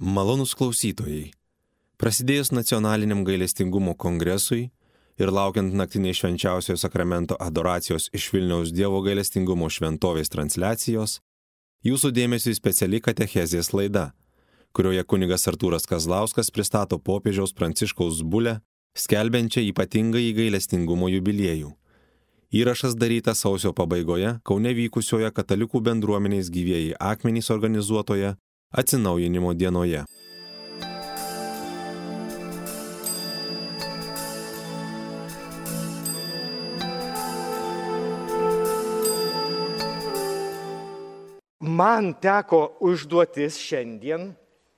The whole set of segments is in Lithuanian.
Malonūs klausytojai, prasidėjus nacionaliniam gailestingumo kongresui ir laukiant naktiniai švenčiausiojo sakramento adoracijos iš Vilniaus Dievo gailestingumo šventovės transliacijos, jūsų dėmesiui speciali katechezės laida, kurioje kunigas Artūras Kazlauskas pristato popiežiaus Pranciškaus bulę, skelbiančią ypatingąjį gailestingumo jubiliejų. Įrašas darytas sausio pabaigoje Kaune vykusioje katalikų bendruomenės Gyvieji akmenys organizuotoje atsinaujinimo dienoje. Man teko užduotis šiandien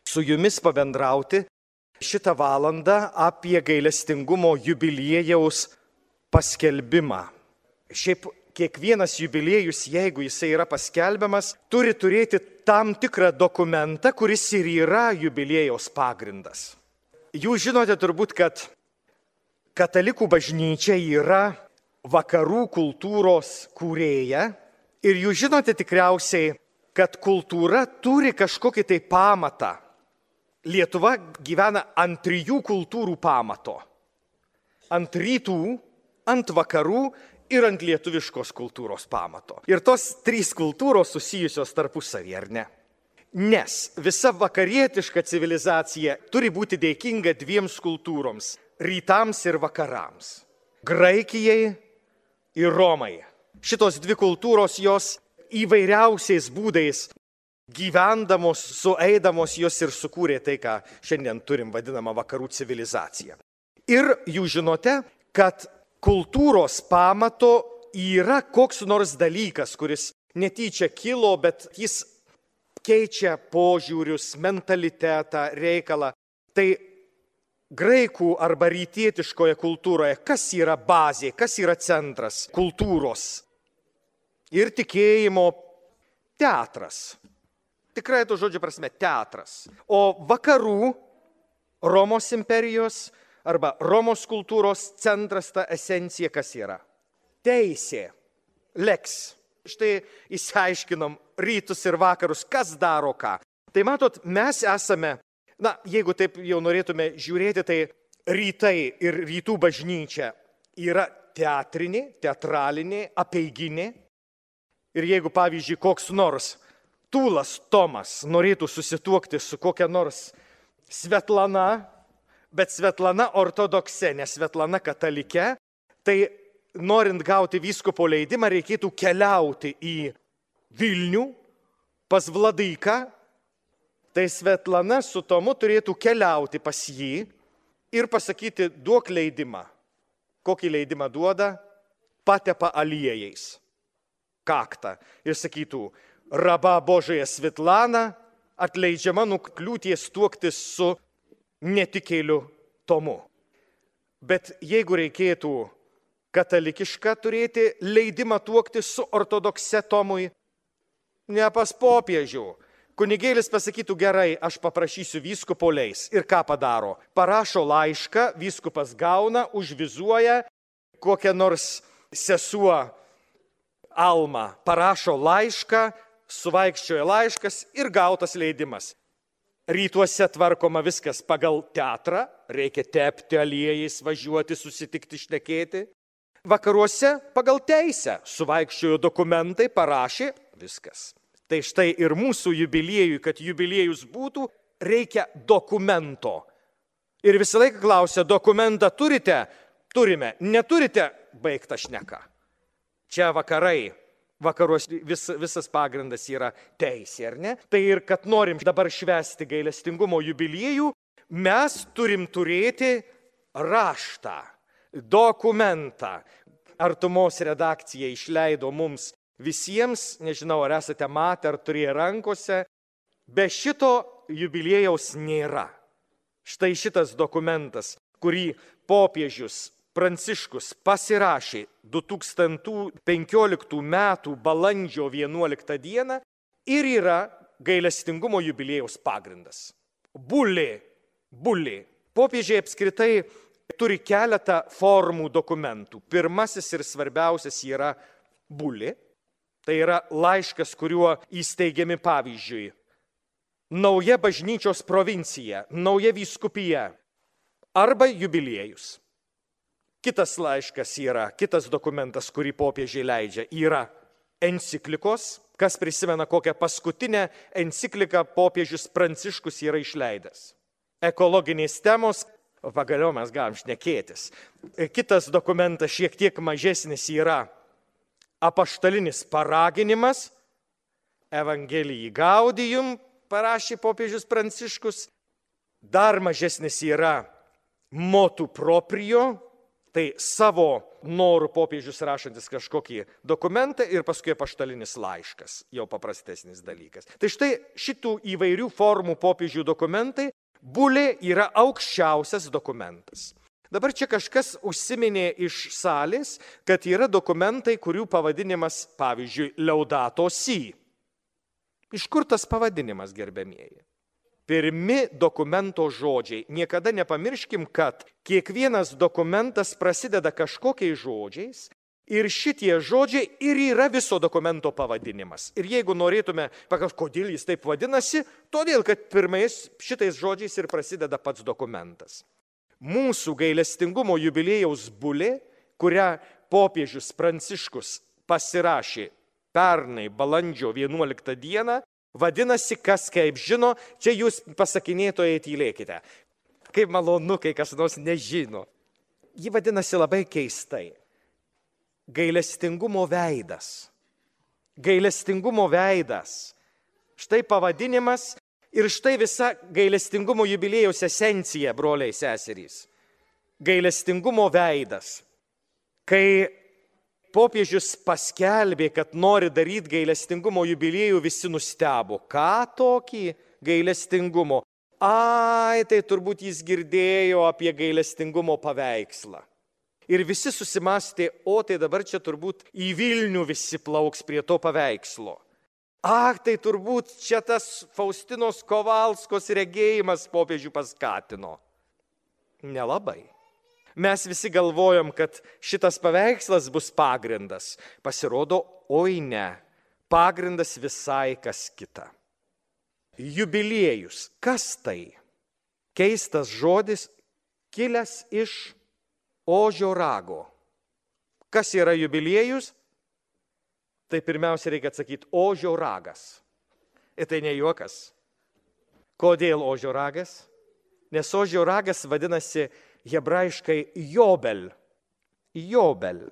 su jumis pabendrauti šitą valandą apie gailestingumo jubiliejaus paskelbimą. Šiaip kiekvienas jubiliejus, jeigu jisai yra paskelbiamas, turi turėti tam tikrą dokumentą, kuris ir yra jubiliejaus pagrindas. Jūs žinote turbūt, kad katalikų bažnyčia yra vakarų kultūros kūrėja ir jūs žinote tikriausiai, kad kultūra turi kažkokį tai pamatą. Lietuva gyvena ant 3 kultūrų pamato. Ant rytų, ant vakarų ir ant lietuviškos kultūros pamato. Ir tos 3 kultūros susijusios tarpusavyje, ar ne? Nes visa vakarietiška civilizacija turi būti dėkinga 2 kultūroms - rytams ir vakarams. Graikijai ir Romai. Šitos 2 kultūros jos įvairiausiais būdais gyvendamos, sueidamos jos ir sukūrė tai, ką šiandien turim vadinamą vakarų civilizaciją. Ir jūs žinote, kad kultūros pamato yra koks nors dalykas, kuris netyčia kilo, bet jis keičia požiūrius, mentalitetą, reikalą. Tai graikų arba rytietiškoje kultūroje kas yra bazė, kas yra centras kultūros ir tikėjimo? Teatras. Tikrai to žodžio prasme teatras. O vakarų Romos imperijos arba Romos kultūros centras, ta esencija kas yra? Teisė. Lex. Štai išsiaiškinom rytus ir vakarus, kas daro ką. Tai matot, mes esame, jeigu taip jau norėtume žiūrėti, tai rytai ir rytų bažnyčia yra teatrinė, teatralinė, apeiginė. Ir jeigu, pavyzdžiui, koks nors Tūlas Tomas norėtų susituokti su kokia nors Svetlana, bet Svetlana ortodokse, ne Svetlana katalike, tai norint gauti vyskupo leidimą, reikėtų keliauti į Vilnių pas Vladaiką. Tai Svetlana su Tomu turėtų keliauti pas jį ir pasakyti, duok leidimą. Kokį leidimą duoda? Patepa aliejais. Kaktą. Ir sakytų, raba Božaja Svetlana atleidžiama nuo kliūties tuoktis su netikėliu Tomu. Bet jeigu reikėtų katalikišką turėti leidimą tuoktis su ortodokse Tomui, ne pas popiežių. Kunigėlis pasakytų, gerai, aš paprašysiu vyskupo leis. Ir ką padaro? Parašo laišką, vyskupas gauna, užvizuoja, kokią nors sesuo Alma parašo laišką, suvaikščioja laiškas ir gautas leidimas. Rytuose tvarkoma viskas pagal teatrą, reikia tepti aliejais, važiuoti, susitikti, šnekėti. Vakaruose pagal teisę, suvaikščiojo dokumentai, parašė, viskas. Tai štai ir mūsų jubiliejui, kad jubiliejus būtų, reikia dokumento. Ir visą laiką klausia, dokumentą turite? Turime. Neturite? Baigta šneka. Čia vakarai. Vakaruos visas pagrindas yra teisė, ar ne? Tai ir kad norim dabar švęsti gailestingumo jubiliejų, mes turim turėti raštą, dokumentą. Artumos redakcija išleido mums visiems, nežinau, ar esate matę, ar turėję rankose, be šito jubiliejaus nėra. Štai šitas dokumentas, kurį popiežius Pranciškus pasirašė 2015 metų balandžio 11 dieną ir yra gailestingumo jubiliejaus pagrindas. Bulė. Popiežiai apskritai turi keletą formų dokumentų. Pirmasis ir svarbiausias yra bulė. Tai yra laiškas, kuriuo įsteigiami pavyzdžiui nauja bažnyčios provincija, nauja vyskupija arba jubiliejus. Kitas laiškas yra, kitas dokumentas, kurį popiežiai leidžia, yra enciklikos. Kas prisimena, kokią paskutinę encikliką popiežius Pranciškus yra išleidęs. Ekologinės temos, pagaliau mes galim šnekėtis. Kitas dokumentas šiek tiek mažesnis yra apaštalinis paraginimas, Evangelijai Gaudium parašė popiežius Pranciškus, dar mažesnis yra motu proprio, tai savo norų popiežius rašantis kažkokį dokumentą ir paskui apaštalinis laiškas, jau paprastesnis dalykas. Tai štai šitų įvairių formų popiežių dokumentai, bulė yra aukščiausias dokumentas. Dabar čia kažkas užsiminė iš salės, kad yra dokumentai, kurių pavadinimas, pavyzdžiui, Laudato Si. Iš kur tas pavadinimas, gerbiamieji? Pirmi dokumento žodžiai. Niekada nepamirškim, kad kiekvienas dokumentas prasideda kažkokiais žodžiais ir šitie žodžiai ir yra viso dokumento pavadinimas. Ir jeigu norėtume paklausti, kodėl jis taip vadinasi, todėl, kad pirmais šitais žodžiais ir prasideda pats dokumentas. Mūsų gailestingumo jubiliejaus bulė, kurią popiežius Pranciškus pasirašė pernai balandžio 11 dieną, vadinasi, kas kaip žino, čia jūs pasakinėtojai tylėkite. Kaip malonu, kai kas nors nežino. Ji vadinasi labai keistai. Gailestingumo veidas. Gailestingumo veidas. Štai pavadinimas ir štai visa gailestingumo jubiliejaus esencija, broliai seserys. Gailestingumo veidas. Kai popiežius paskelbė, kad nori daryti gailestingumo jubiliejų, visi nustebo. Ką tokį gailestingumo? Ai, tai turbūt jis girdėjo apie gailestingumo paveikslą. Ir visi susimastė, o tai dabar čia turbūt į Vilnių visi plauks prie to paveikslo. Tai turbūt čia tas Faustinos Kovalskos regėjimas popiežių paskatino. Nelabai. Mes visi galvojom, kad šitas paveikslas bus pagrindas. Pasirodo, oi ne, pagrindas visai kas kita. Jubiliejus. Kas tai? Keistas žodis, kilęs iš ožio rago. Kas yra jubiliejus? Tai pirmiausia reikia atsakyti, ožio ragas. Ir tai ne juokas. Kodėl ožio ragas? Nes ožio ragas vadinasi hebrajiškai Jobel. Jobel.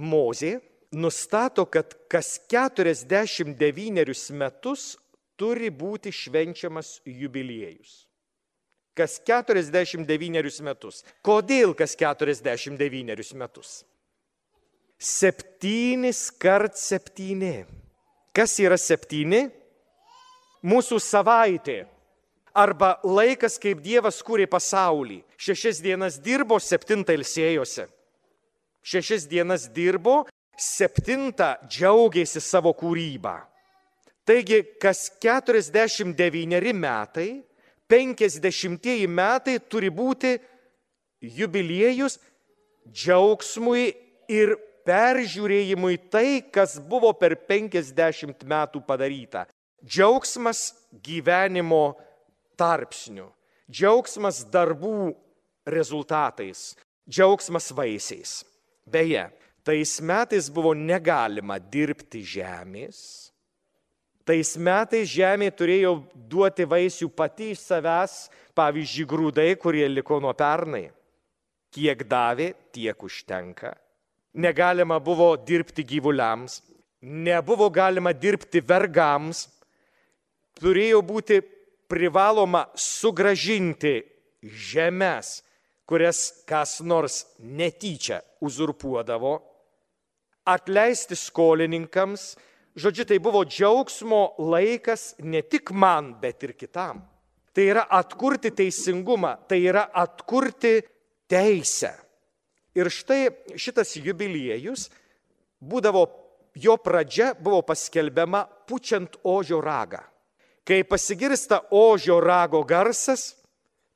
Mozė nustato, kad kas 49 metus turi būti švenčiamas jubiliejus. Kas 49 metus. Kodėl kas 49 metus? 7 kart 7. Kas yra 7? Mūsų savaitė. Arba laikas, kaip Dievas kūrė pasaulį. 6 dienas dirbo, 7 ilsėjosi. 6 dienas dirbo, 7 džiaugėsi savo kūrybą. Taigi, kas 49 metai, 50 metai turi būti jubiliejus džiaugsmui ir peržiūrėjimui tai, kas buvo per 50 metų padaryta. Džiaugsmas gyvenimo tarpsnių, džiaugsmas darbų rezultatais, džiaugsmas vaisiais. Beje, tais metais buvo negalima dirbti žemės. Tais metais žemė turėjo duoti vaisių pati iš savęs, pavyzdžiui, grūdai, kurie liko nuo pernai. Kiek davė, tiek užtenka. Negalima buvo dirbti gyvuliams, nebuvo galima dirbti vergams, turėjo būti privaloma sugrąžinti žemes, kurias kas nors netyčia uzurpuodavo, atleisti skolininkams. Žodžiu, tai buvo džiaugsmo laikas ne tik man, bet ir kitam. Tai yra atkurti teisingumą, tai yra atkurti teisę. Ir štai šitas jubiliejus būdavo, jo pradžia buvo paskelbiama pučiant ožio ragą. Kai pasigirsta ožio rago garsas,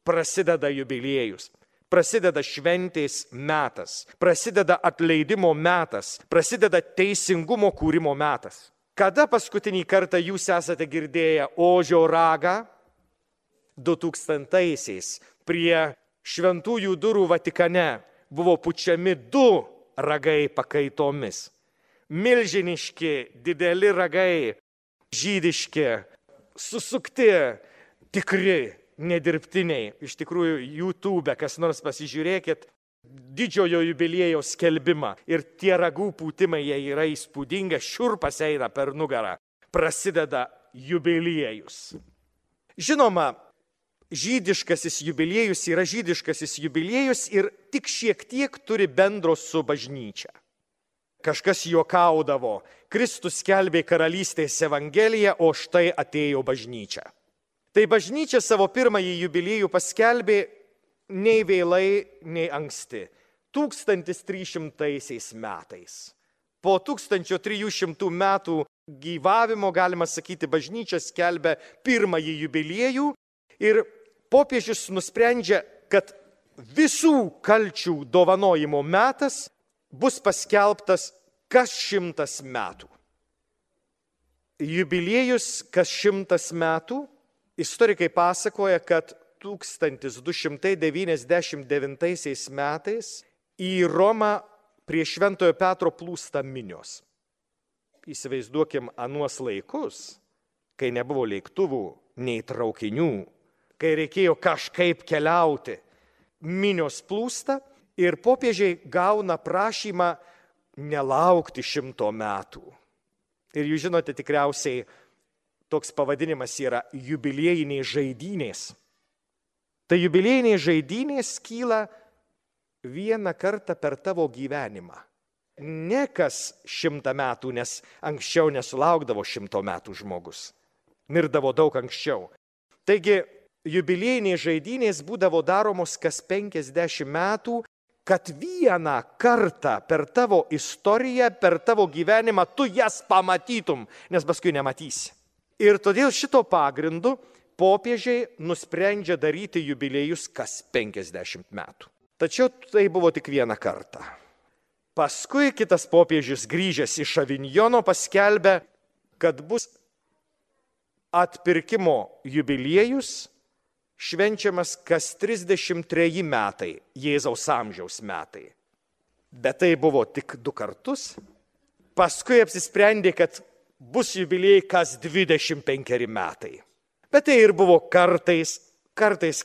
prasideda jubiliejus, prasideda šventės metas, prasideda atleidimo metas, prasideda teisingumo kūrimo metas. Kada paskutinį kartą jūs esate girdėję ožio ragą? 2000-aisiais prie Šventųjų durų Vatikane buvo pučiami 2 ragai pakaitomis. Milžiniški, dideli ragai, žydiški, susukti, tikri, nedirbtiniai. Iš tikrųjų, YouTube, kas nors pasižiūrėkit, didžiojo jubiliejaus skelbimą. Ir tie ragų pūtimai, jie yra įspūdingi, šiurpas eina per nugarą. Prasideda jubiliejus. Žinoma, žydiškasis jubiliejus yra žydiškasis jubiliejus ir tik šiek tiek turi bendro su bažnyčia. Kažkas juokaudavo, Kristus skelbė karalystės evangeliją, o štai atėjo bažnyčia. Tai bažnyčia savo pirmąjį jubiliejų paskelbė nei vėlai, nei anksti. 1300 metais. Po 1300 metų gyvavimo, galima sakyti, bažnyčia skelbia pirmąjį jubiliejų ir popiežius nusprendžia, kad visų kalčių dovanojimo metas bus paskelbtas kas 100 metų. Jubiliejus kas 100 metų, istorikai pasakoja, kad 1299 metais į Romą prie Šventojo Petro plūsta minios. Įsivaizduokim anuos laikus, kai nebuvo lėktuvų, nei traukinių, kai reikėjo kažkaip keliauti. Minios plūsta ir popiežiai gauna prašymą nelaukti 100 metų. Ir jūs žinote, tikriausiai toks pavadinimas yra jubiliejiniai žaidynės. Tai jubiliejiniai žaidynės kyla vieną kartą per tavo gyvenimą. Ne kas 100 metų, nes anksčiau nesulaukdavo 100 metų žmogus. Mirdavo daug anksčiau. Taigi, jubiliejiniai žaidynės būdavo daromos kas 50 metų, kad vieną kartą per tavo istoriją, per tavo gyvenimą tu jas pamatytum, nes paskui nematysi. Ir todėl šito pagrindu popiežiai nusprendžia daryti jubiliejus kas 50 metų. Tačiau tai buvo tik vieną kartą. Paskui kitas popiežius grįžęs iš Avinjono paskelbė, kad bus atpirkimo jubiliejus švenčiamas kas 33 metai, Jėzaus amžiaus metai. Bet tai buvo tik 2 kartus. Paskui apsisprendė, kad bus jubiliejai kas 25 metai. Bet tai ir buvo kartais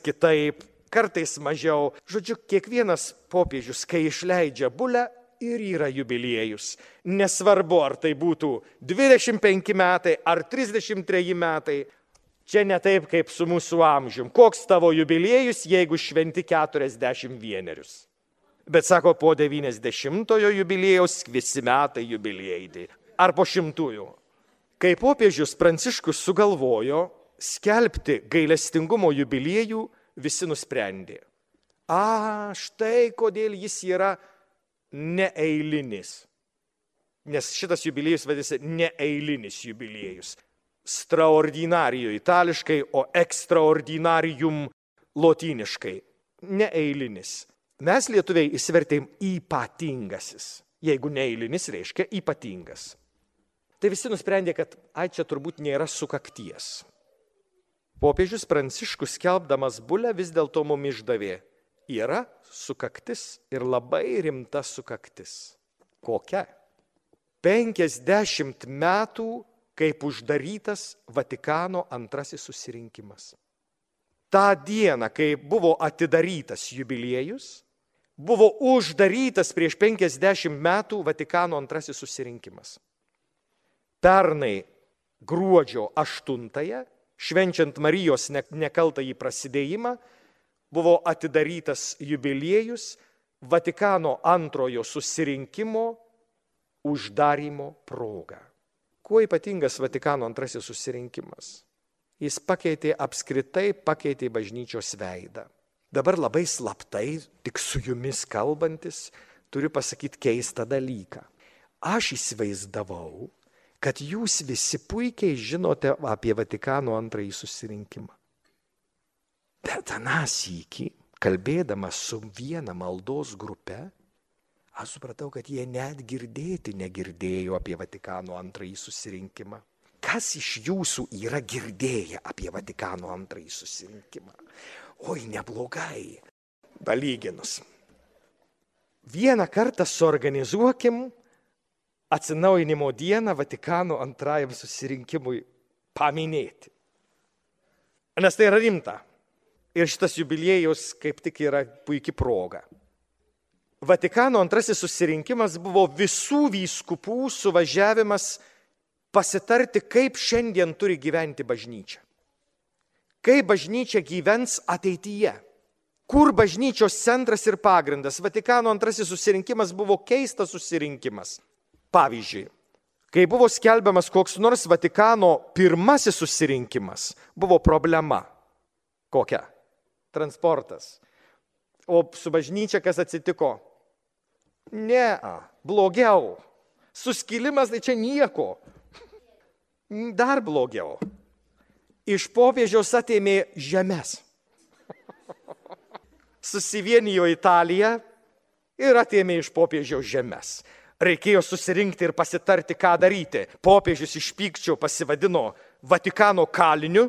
kitaip, kartais mažiau. Žodžiu, kiekvienas popiežius, kai išleidžia bulę, ir yra jubiliejus. Nesvarbu, ar tai būtų 25 metai ar 33 metai. Čia ne taip kaip su mūsų amžium. Koks tavo jubiliejus, jeigu šventi 41? Bet sako, po 90-ojo jubiliejaus visi metai jubiliejai. Ar po 100-ųjų. Kai popiežius Pranciškus sugalvojo skelbti gailestingumo jubiliejų, visi nusprendė. Štai kodėl jis yra neeilinis. Nes šitas jubiliejus vadinasi neeilinis jubiliejus. Straordinario itališkai, o extraordinarium lotyniškai. Neeilinis. Mes lietuviai įsivertėm ypatingasis. Jeigu neeilinis, reiškia ypatingas. Tai visi nusprendė, kad čia turbūt nėra sukakties. Popiežius Pranciškus skelbdamas bulę vis dėlto mum išdavė. Yra sukaktis ir labai rimta sukaktis. Kokia? 50 metų, kaip uždarytas Vatikano antrasis susirinkimas. Ta diena, kai buvo atidarytas jubiliejus, buvo uždarytas prieš 50 metų Vatikano antrasis susirinkimas. Pernai gruodžio 8-ąją, švenčiant Marijos nekaltąjį prasidėjimą, buvo atidarytas jubiliejus Vatikano antrojo susirinkimo uždarymo proga. Kuo ypatingas Vatikano antrasis susirinkimas? Jis apskritai pakeitė bažnyčios veidą. Dabar labai slaptai, tik su jumis kalbantis, turiu pasakyti keistą dalyką. Aš įsivaizdavau, kad jūs visi puikiai žinote apie Vatikano antrąjį susirinkimą. Bet aną sykį, kalbėdamas su viena maldos grupe, Aš supratau, kad jie net girdėti negirdėjo apie Vatikano antrąjį susirinkimą. Kas iš jūsų yra girdėję apie Vatikano antrąjį susirinkimą? Oi, neblogai. Palyginus. Vieną kartą suorganizuokim atsinaujinimo dieną Vatikano antrajam susirinkimui paminėti. Nes tai yra rimta. Ir šitas jubiliejus kaip tik yra puikia proga. Vatikano antrasis susirinkimas buvo visų vyskupų suvažiavimas pasitarti, kaip šiandien turi gyventi bažnyčia. Kaip bažnyčia gyvens ateityje. Kur bažnyčios centras ir pagrindas. Vatikano antrasis susirinkimas buvo keistas susirinkimas. Pavyzdžiui, kai buvo skelbiamas koks nors Vatikano pirmasis susirinkimas, buvo problema. Kokia? Transportas. O su bažnyčia kas atsitiko? Ne, blogiau. Suskilimas tai čia nieko. Dar blogiau. Iš popiežiaus atėmė žemes. Susivienijo Italija ir atėmė iš popiežiaus žemes. Reikėjo susirinkti ir pasitarti, ką daryti. Popiežius iš pykčio pasivadino Vatikano kaliniu.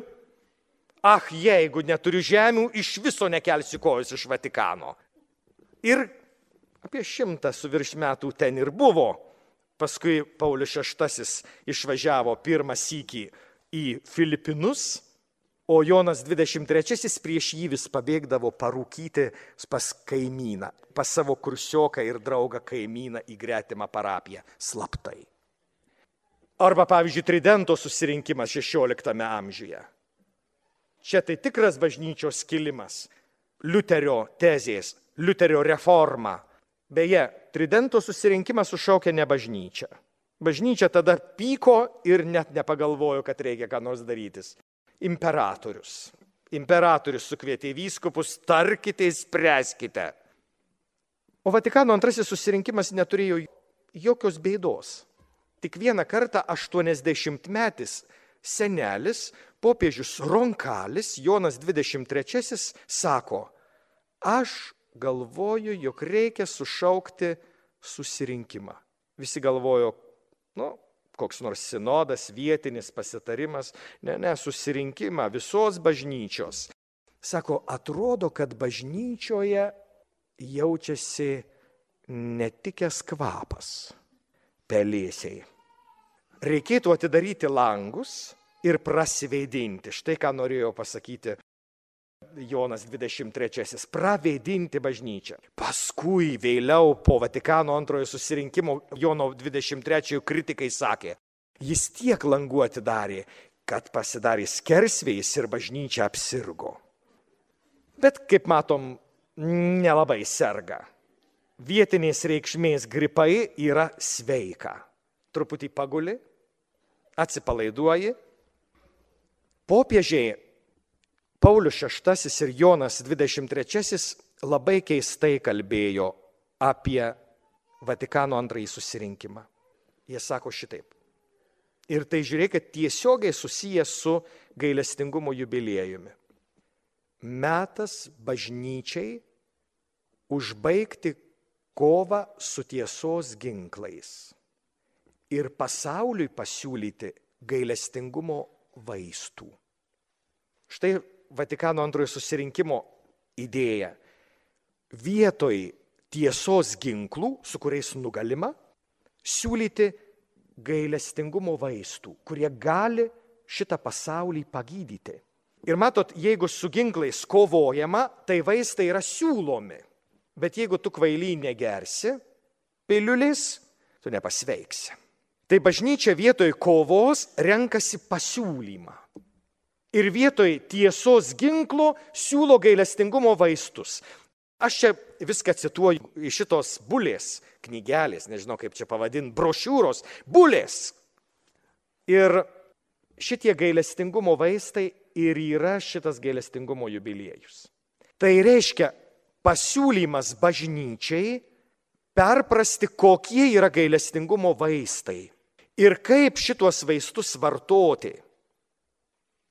Jeigu neturiu žemių, iš viso nekelsiu kojos iš Vatikano. Ir apie 100 su virš metų ten ir buvo. Paskui Paulius VI išvažiavo pirmą sykį į Filipinus, o Jonas 23 prieš jį vis pabėgdavo parūkyti pas kaimyną, pas savo kursioką ir draugą kaimyną į gretimą parapiją, slaptai. Arba, pavyzdžiui, Tridento susirinkimas 16 amžiuje. Čia tai tikras bažnyčios skilimas, Liuterio tezės, Liuterio reforma. Beje, Tridento susirinkimas sušaukė ne bažnyčią. Bažnyčia tada pyko ir net nepagalvojo, kad reikia ką nors darytis. Imperatorius. Imperatorius sukvietė vyskupus, tarkite, spręskite. O Vatikano antrasis susirinkimas neturėjo jokios bėdos. Tik vieną kartą 80-metis senelis, popiežius Ronkalis, Jonas 23, sako, aš galvoju, jog reikia sušaukti susirinkimą. Visi galvojo, koks nors sinodas, vietinis pasitarimas, ne, susirinkimą visos bažnyčios. Sako, atrodo, kad bažnyčioje jaučiasi netikęs kvapas, pelėsiai. Reikėtų atidaryti langus ir prasiveidinti. Štai ką norėjo pasakyti Jonas 23. Praveidinti bažnyčią. Paskui vėliau po Vatikano antrojo susirinkimo Jono 23 kritikai sakė, jis tiek langų atidarė, kad pasidarė skersvėjis ir bažnyčia apsirgo. Bet, kaip matom, nelabai serga. Vietinės reikšmės gripai yra sveika. Truputį paguli, atsipalaiduoji. Popiežiai Paulius VI ir Jonas 23 labai keistai kalbėjo apie Vatikano antrąjį susirinkimą. Jie sako šitaip. Ir tai žiūrėkit tiesiogiai susijęs su gailestingumo jubiliejumi. Metas bažnyčiai užbaigti kovą su tiesos ginklais ir pasauliui pasiūlyti gailestingumo vaistų. Štai Vatikano antrojo susirinkimo idėja. Vietoj tiesos ginklų, su kuriais nugalima, siūlyti gailestingumo vaistų, kurie gali šitą pasaulį pagydyti. Ir matot, jeigu su ginklais kovojama, tai vaistai yra siūlomi. Bet jeigu tu kvaily negersi piliulės, tu nepasveiksi. Tai bažnyčia vietoj kovos renkasi pasiūlymą. Ir vietoj tiesos ginklo siūlo gailestingumo vaistus. Aš čia viską cituoju iš šitos bulės knygelės, nežinau kaip čia pavadinti, brošiūros, bulės. Ir šitie gailestingumo vaistai ir yra šitas gailestingumo jubiliejus. Tai reiškia pasiūlymas bažnyčiai perprasti, kokie yra gailestingumo vaistai ir kaip šitos vaistus vartoti.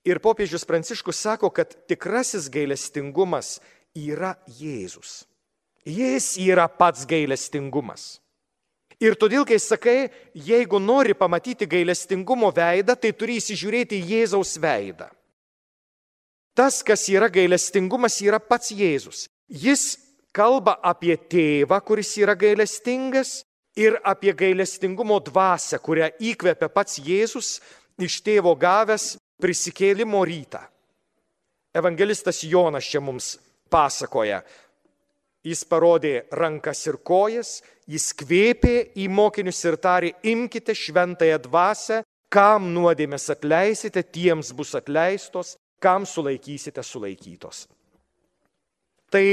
Ir popiežius Pranciškus sako, kad tikrasis gailestingumas yra Jėzus. Jis yra pats gailestingumas. Ir todėl, kai sakai, jeigu nori pamatyti gailestingumo veidą, tai turi įsižiūrėti į Jėzaus veidą. Tas, kas yra gailestingumas, yra pats Jėzus. Jis kalba apie tėvą, kuris yra gailestingas, ir apie gailestingumo dvasią, kurią įkvepia pats Jėzus iš tėvo gavęs prisikėlimo rytą. Evangelistas Jonas čia mums pasakoja. Jis parodė rankas ir kojas, jis kvėpė į mokinius ir tarė, imkite šventąją dvasią, kam nuodėmės atleisite, tiems bus atleistos, kam sulaikysite, sulaikytos. Tai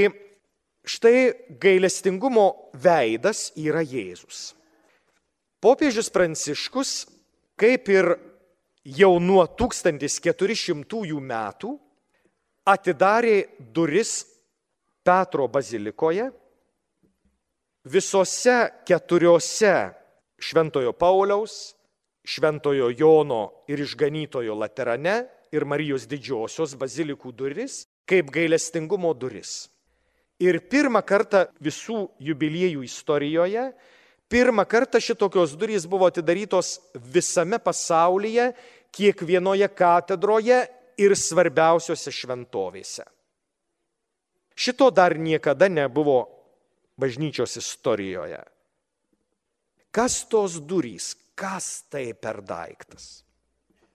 štai gailestingumo veidas yra Jėzus. Popiežius Pranciškus, kaip ir jau nuo 1400 metų, atidarė duris Petro bazilikoje, visose 4 Šventojo Pauliaus, Šventojo Jono ir Išganytojo Laterane ir Marijos Didžiosios bazilikų duris, kaip gailestingumo duris. Ir pirmą kartą visų jubiliejų istorijoje, pirmą kartą šitokios durys buvo atidarytos visame pasaulyje, kiekvienoje katedroje ir svarbiausiose šventovėse. Šito dar niekada nebuvo bažnyčios istorijoje. Kas tos durys? Kas tai per daiktas?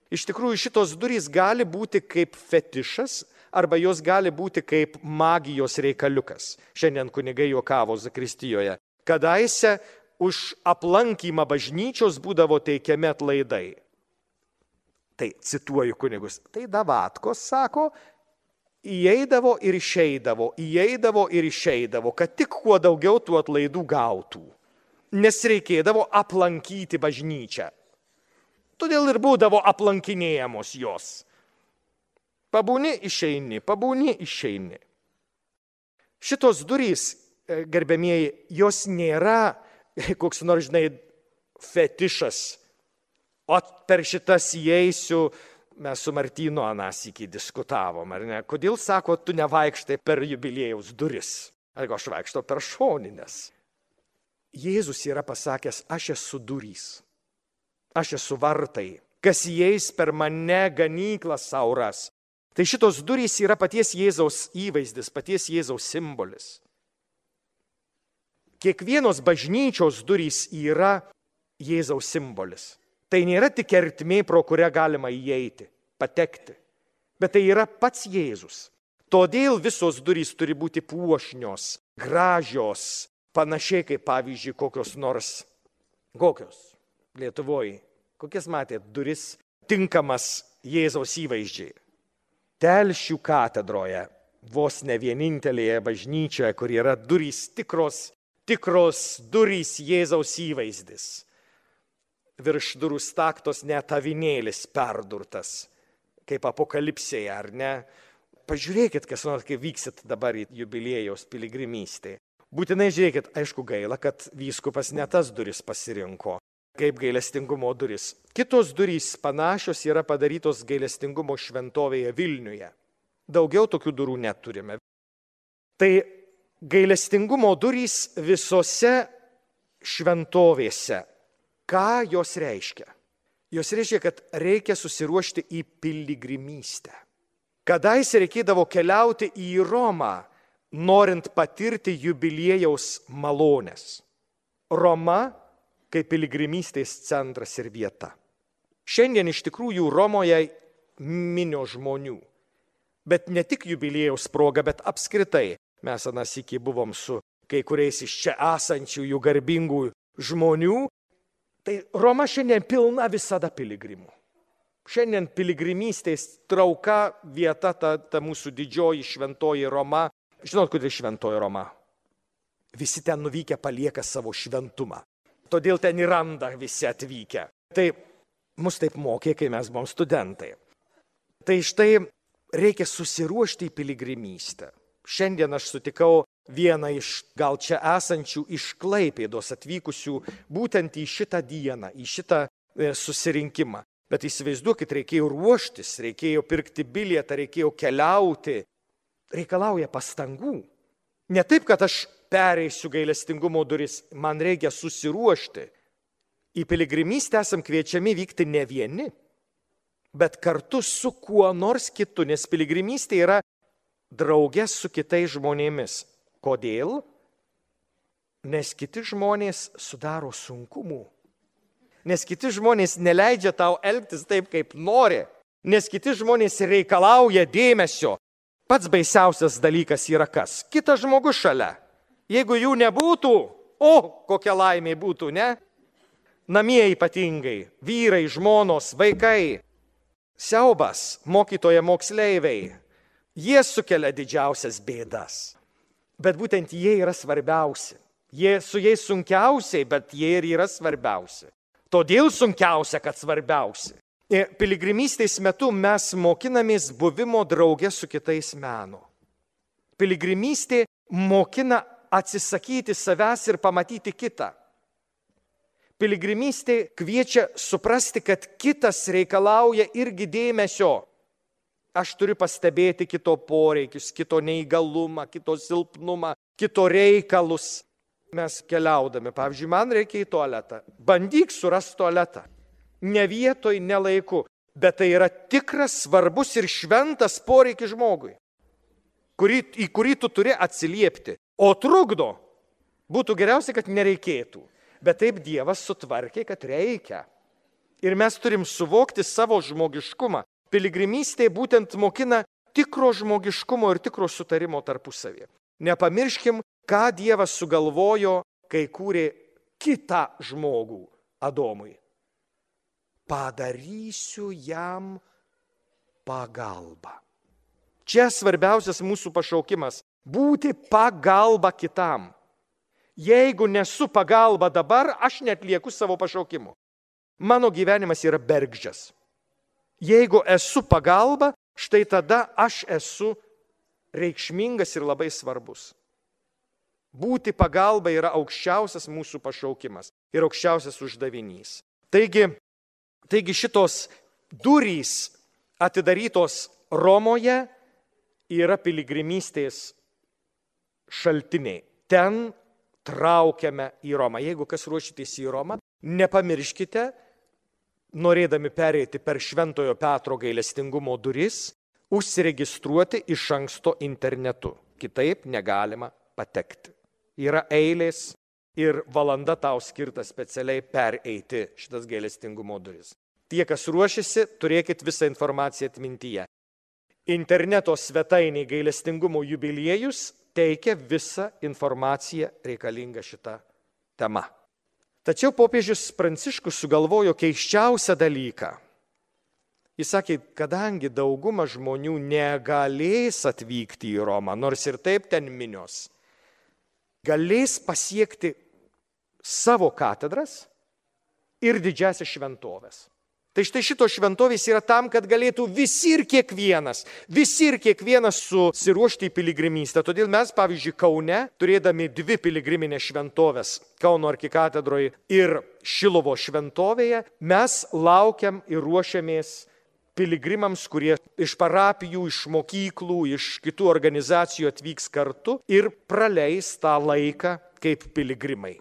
Iš tikrųjų, šitos durys gali būti kaip fetišas, arba jos gali būti kaip magijos reikaliukas. Šiandien kunigai juokavo Zakristijoje. Kadaise už aplankymą bažnyčios būdavo teikiami atlaidai. Tai cituoju kunigus. Tai davatkos, sako, įeidavo ir išeidavo, kad tik kuo daugiau tų atlaidų gautų. Nes reikėdavo aplankyti bažnyčią. Todėl ir būdavo aplankinėjamos jos. Pabūni, išeini. Šitos durys, gerbėmieji, jos nėra koks nors, fetišas. O per šitas įeisiu, mes su Martynu anąsykį diskutavom, ar ne? Kodėl, sako, tu nevaikštai per jubiliejaus duris? Ar aš vaikštau per šoninės? Jėzus yra pasakęs, aš esu durys. Aš esu vartai. Kas įeis per mane, ganyklą sauras. Tai šitos durys yra paties Jėzaus įvaizdis, paties Jėzaus simbolis. Kiekvienos bažnyčios durys yra Jėzaus simbolis. Tai nėra tik ertmė, pro kurią galima įeiti, patekti, bet tai yra pats Jėzus. Todėl visos durys turi būti puošnios, gražios, panašiai kaip pavyzdžiui kokios Lietuvoje. Kokias matėt duris tinkamas Jėzaus įvaizdžiai? Telšių katedroje, vos ne vienintelėje bažnyčioje, kur yra durys, tikros durys Jėzaus įvaizdis. Virš durų staktos net avinėlis perdurtas, kaip apokalipsėje, ar ne? Pažiūrėkit, kas nors, kai vyksit dabar į jubiliejaus piligrimystę. Būtinai žiūrėkit, aišku gaila, kad vyskupas ne tas duris pasirinko, kaip gailestingumo duris. Kitos durys panašios yra padarytos gailestingumo šventovėje Vilniuje. Daugiau tokių durų neturime. Tai gailestingumo durys visose šventovėse. Ką jos reiškia? Jos reiškia, kad reikia susiruošti į piligrimystę. Kadaise reikėdavo keliauti į Romą, norint patirti jubiliejaus malonės. Roma kaip piligrimystės centras ir vieta. Šiandien iš tikrųjų Romoje minio žmonių. Bet ne tik jubiliejaus proga, bet apskritai. Mes anąsyk buvom su kai kuriais iš čia esančių jų garbingų žmonių. Tai Roma šiandien pilna visada piligrimų. Šiandien piligrimystės trauka vieta, ta mūsų didžioji šventoji Roma. Žinot, kodėl šventoji Roma? Visi ten nuvykę palieka savo šventumą. Todėl ten ir randa visi atvykę. Tai mus taip mokė, kai mes buvom studentai. Tai štai reikia susiruošti į piligrimystę. Šiandien aš sutikau vieną iš gal čia esančių iš Klaipėdos atvykusių būtent į šitą dieną, į šitą susirinkimą. Bet įsivaizduokit, reikėjo ruoštis, reikėjo pirkti bilietą, reikėjo keliauti. Reikalauja pastangų. Ne taip, kad aš pereisiu gailestingumo duris, man reikia susiruošti. Į piligrimystę esam kviečiami vykti ne vieni, bet kartu su kuo nors kitu, nes piligrimystė yra draugė su kitais žmonėmis. Kodėl? Nes kiti žmonės sudaro sunkumų. Nes kiti žmonės neleidžia tau elgtis taip, kaip nori. Nes kiti žmonės reikalauja dėmesio. Pats baisiausias dalykas yra kas? Kitas žmogus šalia. Jeigu jų nebūtų, kokia laimė būtų, ne? Namie ypatingai, vyrai, žmonos, vaikai, siaubas, mokytoja, moksleiviai, jie sukelia didžiausias bėdas. Bet būtent jie yra svarbiausi. Su jais sunkiausiai, bet jie ir yra svarbiausi. Todėl sunkiausia, kad svarbiausi. Piligrimystės metu mes mokinamės buvimo drauge su kitais meno. Piligrimystė mokina atsisakyti savęs ir pamatyti kitą. Piligrimystė kviečia suprasti, kad kitas reikalauja irgi dėmesio. Aš turiu pastebėti kito poreikius, kito neįgalumą, kito silpnumą, kito reikalus. Mes keliaudami, pavyzdžiui, man reikia į tualetą. Bandyk surasti tualetą. Ne vietoj, ne laiku. Bet tai yra tikras, svarbus ir šventas poreikis žmogui, į kurį tu turi atsiliepti. O trukdo. Būtų geriausia, kad nereikėtų. Bet taip Dievas sutvarkė, kad reikia. Ir mes turim suvokti savo žmogiškumą. Piligrimystė būtent mokina tikro žmogiškumo ir tikro sutarimo tarpusavį. Nepamirškim, ką Dievas sugalvojo, kai kūrė kitą žmogų Adomui. Padarysiu jam pagalbą. Čia svarbiausias mūsų pašaukimas – būti pagalba kitam. Jeigu nesu pagalba dabar, aš neatlieku savo pašaukimo. Mano gyvenimas yra bergždžias. Jeigu esu pagalba, štai tada aš esu reikšmingas ir labai svarbus. Būti pagalba yra aukščiausias mūsų pašaukimas ir aukščiausias uždavinys. Taigi šitos durys atidarytos Romoje yra piligrimystės šaltiniai. Ten traukiame į Romą. Jeigu kas ruošitės į Romą, nepamirškite, norėdami pereiti per Šventojo Petro gailestingumo duris, užsiregistruoti iš anksto internetu. Kitaip negalima patekti. Yra eilės ir valanda tau skirta specialiai pereiti šitas gailestingumo duris. Tie, kas ruošiasi, turėkit visą informaciją atmintyje. Interneto svetainė gailestingumo jubiliejus teikia visą informaciją reikalingą šitą temą. Tačiau popiežius Pranciškus sugalvojo keisčiausią dalyką. Jis sakė, kadangi dauguma žmonių negalės atvykti į Romą, nors ir taip ten minios, galės pasiekti savo katedras ir didžiasias šventoves. Tai štai šitos šventovės yra tam, kad galėtų visi ir kiekvienas susiruošti į piligrimystę. Todėl mes, pavyzdžiui, Kaune, turėdami 2 piligriminės šventovės, Kauno arkikatedroje ir Šilovo šventovėje, mes laukiam ir ruošiamės piligrimams, kurie iš parapijų, iš mokyklų, iš kitų organizacijų atvyks kartu ir praleis tą laiką kaip piligrimai.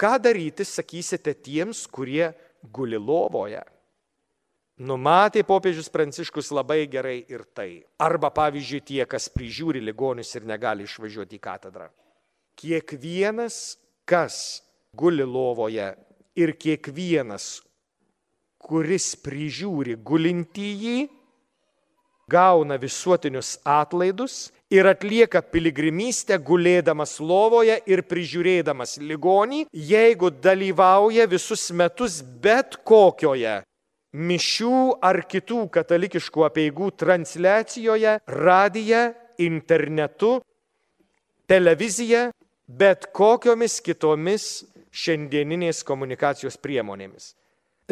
Ką daryti, sakysite, tiems, kurie guli lovoje? Numatė popiežius Pranciškus labai gerai ir tai. Arba, pavyzdžiui, tie, kas prižiūri ligonius ir negali išvažiuoti į katedrą. Kiekvienas, kas guli lovoje ir kiekvienas, kuris prižiūri gulintįjį, gauna visuotinius atlaidus ir atlieka piligrimystę gulėdamas lovoje ir prižiūrėdamas ligonį, jeigu dalyvauja visus metus bet kokioje mišių ar kitų katalikiškų apeigų transliacijoje, radija, internetu, televizija, bet kokiomis kitomis šiandieninės komunikacijos priemonėmis.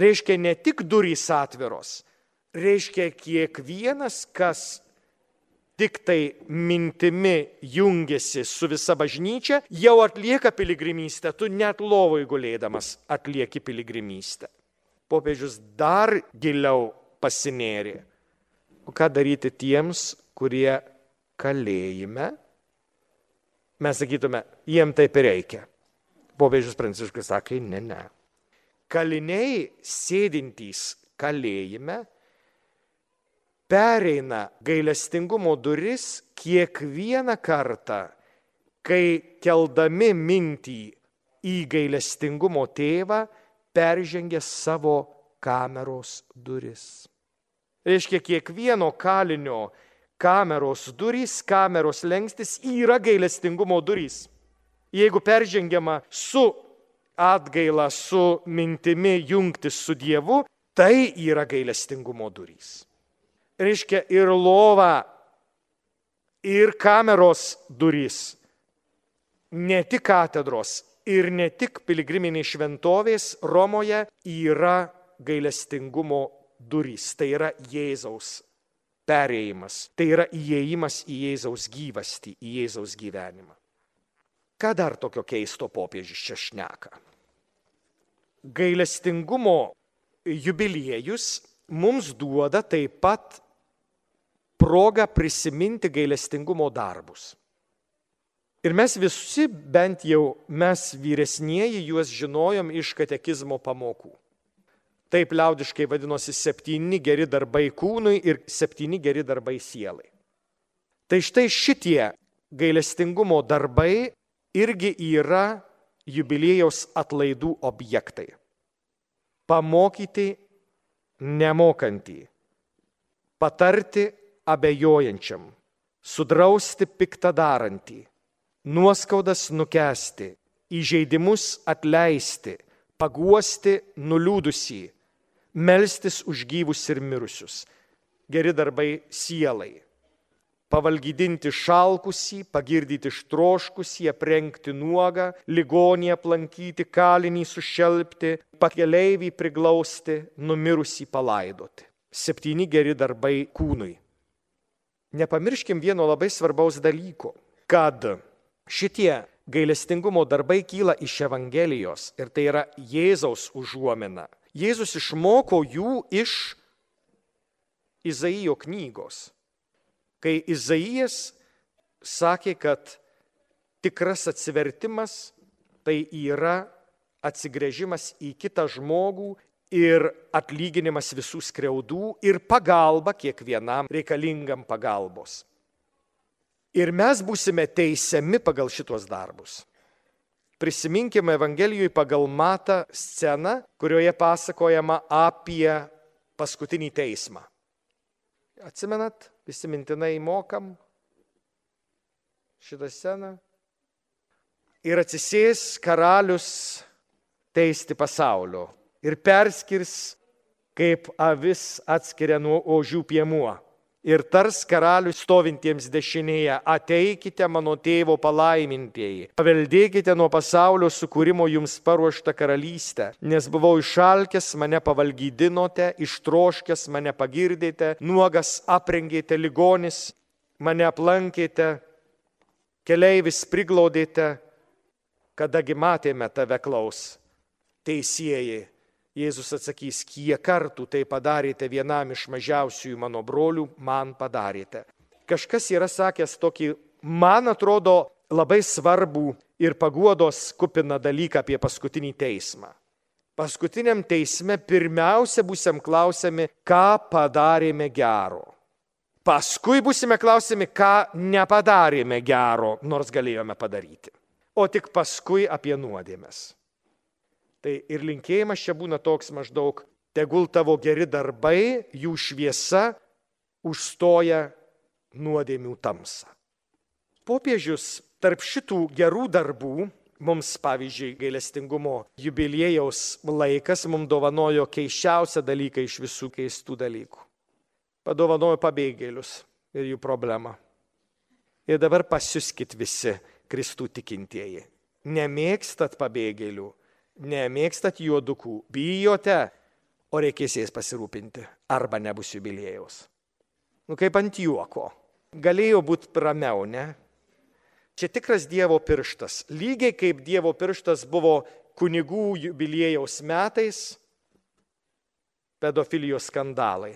Reiškia ne tik durys atviros, reiškia kiekvienas, kas tik tai mintimi jungiasi su visa bažnyčia, jau atlieka piligrimystę, tu net lovoj gulėdamas atlieki piligrimystę. Popiežius dar giliau pasinėrė. O ką daryti tiems, kurie kalėjime mes sakytume, jiem taip ir reikia. Popiežius Pranciškus sakė, ne. Kaliniai sėdintys kalėjime pereina gailestingumo duris kiekvieną kartą, kai keldami mintį į gailestingumo tėvą peržengia savo kameros duris. Reiškia, kiekvieno kalinio kameros durys, kameros lengstis yra gailestingumo durys. Jeigu peržengiama su atgaila, su mintimi jungtis su Dievu, tai yra gailestingumo durys. Reiškia, ir lova, ir kameros durys, ne tik katedros ir ne tik piligriminės šventovės Romoje yra gailestingumo durys. Tai yra Jėzaus perėjimas, tai yra įėjimas į Jėzaus gyvastį, į Jėzaus gyvenimą. Ką dar tokio keisto popiežius čia šneka? Gailestingumo jubiliejus mums duoda taip pat progą prisiminti gailestingumo darbus. Ir mes visi, bent jau mes vyresnieji, juos žinojom iš katekizmo pamokų. Taip liaudiškai vadinosi 7 geri darbai kūnui ir 7 geri darbai sielai. Tai štai šitie gailestingumo darbai irgi yra jubiliejaus atlaidų objektai. Pamokyti nemokantį, patarti abejojančiam, sudrausti piktadarantį, nuoskaudas nukęsti, įžeidimus atleisti, paguosti nuliūdusį, melstis už gyvus ir mirusius. Geri darbai sielai. Pavalgydinti šalkusį, pagirdyti ištroškusį, aprengti nuogą, ligonį aplankyti, kalinį sušelpti, pakeleivį priglausti, numirusį palaidoti. 7 geri darbai kūnui. Nepamirškim vieno labai svarbaus dalyko, kad šitie gailestingumo darbai kyla iš Evangelijos ir tai yra Jėzaus užuomina. Jėzus išmoko jų iš Izaijo knygos. Kai Izaijas sakė, kad tikras atsivertimas tai yra atsigręžimas į kitą žmogų ir atlyginimas visų skriaudų ir pagalba kiekvienam reikalingam pagalbos. Ir mes būsime teisiami pagal šitos darbus. Prisiminkime Evangelijoje pagal Matą sceną, kurioje pasakojama apie paskutinį teismą. Atsimenat, visi mintinai mokam šitą sceną. Ir atsisės karalius teisti pasaulio ir perskirs, kaip avis atskiria nuo ožių piemuo. Ir tars karalius stovintiems dešinėje, ateikite mano tėvo palaimintieji, paveldėkite nuo pasaulio sukūrimo jums paruoštą karalystę, nes buvau išalkęs, mane pavalgydinote, ištroškęs, mane pagirdėte, nuogas aprengėte, ligonis, mane aplankėte, keleivis priglaudėte, kadagi matėme tave klaus. Teisieji, Jėzus atsakys, kiek kartų tai padarėte vienam iš mažiausiųjų mano brolių, man padarėte. Kažkas yra sakęs tokį, man atrodo, labai svarbų ir paguodos kupiną dalyką apie paskutinį teismą. Paskutiniam teisme pirmiausia būsim klausiami, ką padarėme gero. Paskui būsime klausiami, ką nepadarėme gero, nors galėjome padaryti. O tik paskui apie nuodėmes. Tai ir linkėjimas čia būna toks maždaug, tegul tavo geri darbai, jų šviesa užstoja nuodėmių tamsą. Popiežius tarp šitų gerų darbų, mums pavyzdžiui gailestingumo jubiliejaus laikas, mums dovanojo keisčiausią dalyką iš visų keistų dalykų. Padovanojo pabėgėlius ir jų problemą. Ir dabar pasiuskit visi Kristų tikintieji. Nemėgstat pabėgėlių. Nemėgstat juodukų, bijote, o reikės jais pasirūpinti, arba nebus jubiliejaus. Kaip ant juoko. Galėjo būti ramiau, ne? Čia tikras Dievo pirštas. Lygiai kaip Dievo pirštas buvo kunigų jubiliejaus metais, pedofilijos skandalai.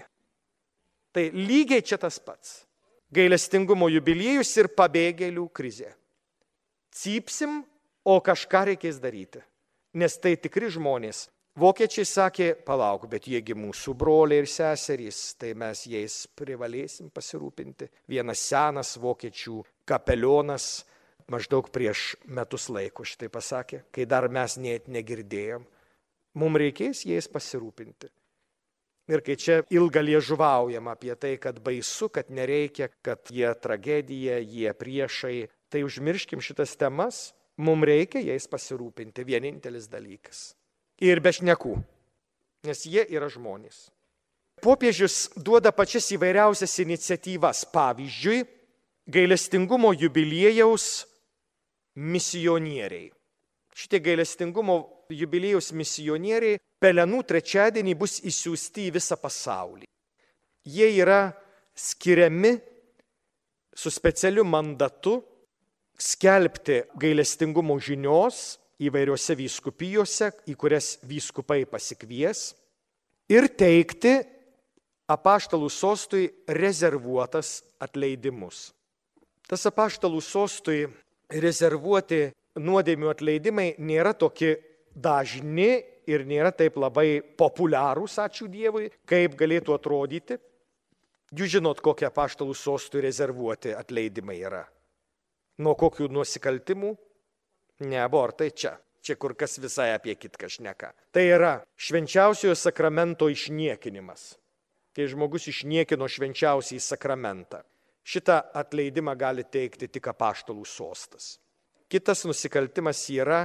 Tai lygiai čia tas pats. Gailestingumo jubiliejus ir pabėgėlių krizė. cypsim, o kažką reikės daryti. Nes tai tikri žmonės. Vokiečiai sakė, palauk, bet jiegi mūsų broliai ir seserys, tai mes jais privalėsim pasirūpinti. Vienas senas vokiečių kapelionas maždaug prieš metus laiko šitai pasakė, kai dar mes net negirdėjom. Mums reikės jais pasirūpinti. Ir kai čia ilga liežuvaujama apie tai, kad baisu, kad nereikia, kad jie tragedija, jie priešai, tai užmirškim šitas temas, mums reikia jais pasirūpinti, vienintelis dalykas. Ir be šnekų, nes jie yra žmonės. Popiežius duoda pačias įvairiausias iniciatyvas, pavyzdžiui, gailestingumo jubiliejaus misionieriai. Šitie gailestingumo jubiliejaus misionieriai Pelenų trečiadienį bus išsiųsti į visą pasaulį. Jie yra skiriami su specialiu mandatu skelbti gailestingumo žinios įvairiose vyskupijose, į kurias vyskupai pasikvies, ir teikti apaštalų sostui rezervuotas atleidimus. Tas apaštalų sostui rezervuoti nuodėmių atleidimai nėra tokie dažni ir nėra taip labai populiarūs, ačiū Dievui, kaip galėtų atrodyti. Jūs žinot, kokie apaštalų sostui rezervuoti atleidimai yra. Nuo kokių nusikaltimų? Ne abortai čia. Čia kur kas visai apie kitką šneka. Tai yra švenčiausiojo sakramento išniekinimas. Kai žmogus išniekino švenčiausiąjį sakramentą. Šitą atleidimą gali teikti tik apaštalų sostas. Kitas nusikaltimas yra